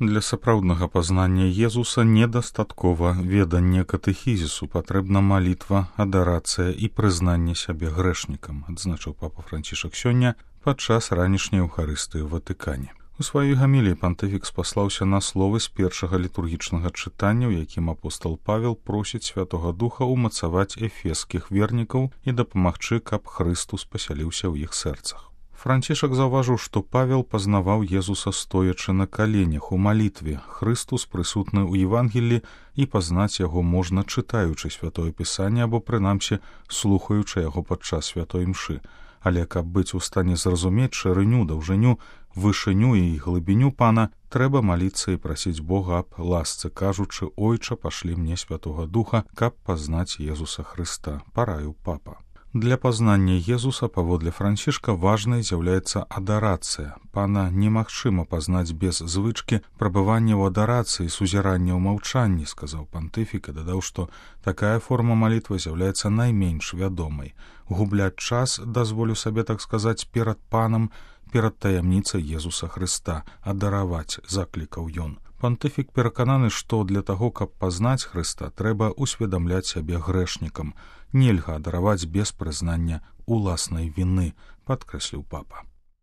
Для сапраўднага пазнання Езуса недастаткова ведання катэхізісу, патрэбна малітва, адарацыя і прызнанне сябе грэшнікам, адзначыў папа Францішак сёння падчас ранішняй эўхарыстыі ў Ватыкане. У сваёй гаміліі пантыфік спаслаўся на словы з першага літургічнага чытання, у якім апостол Павел просіць Святога Духа ўмацаваць эфескіх вернікаў і дапамагчы, каб Хрыстус пасяліўся ў іх сэрцах. Францішак заўважыў, што Павел пазнаваў Езуса стоячы на каленях у малітве. Хрыстус прысутны ў Евангелі, і пазнаць яго можна, чытаючы святое пісанне або, прынамсі, слухаючы яго падчас святой імшы. Але каб быць у стане зразумець шырыню, даўжыню, вышыню і глыбіню Пана, трэба маліцца і прасіць Бога аб ласцы, кажучы: «Ойча, пашлі мне Святога Духа, каб пазнаць Езуса Хрыста», параіў папа. Для пазнання Езуса, паводле Францішка, важнай з'яўляецца адарацыя. Пана немагчыма пазнаць без звычкі прабывання ў адарацыі, сузірання ў маўчанні, сказаў пантыфік і дадаў, што такая форма малітвы з'яўляецца найменш вядомай. Губляць час, дазволю сабе так сказаць, перад Панам, перад таямніцай Езуса Хрыста, адараваць, заклікаў ён. Пантыфік перакананы, што для таго, каб пазнаць Хрыста, трэба усведамляць сябе грэшнікам. Нельга адараваць без прызнання уласнай віны, падкрэсліў папа.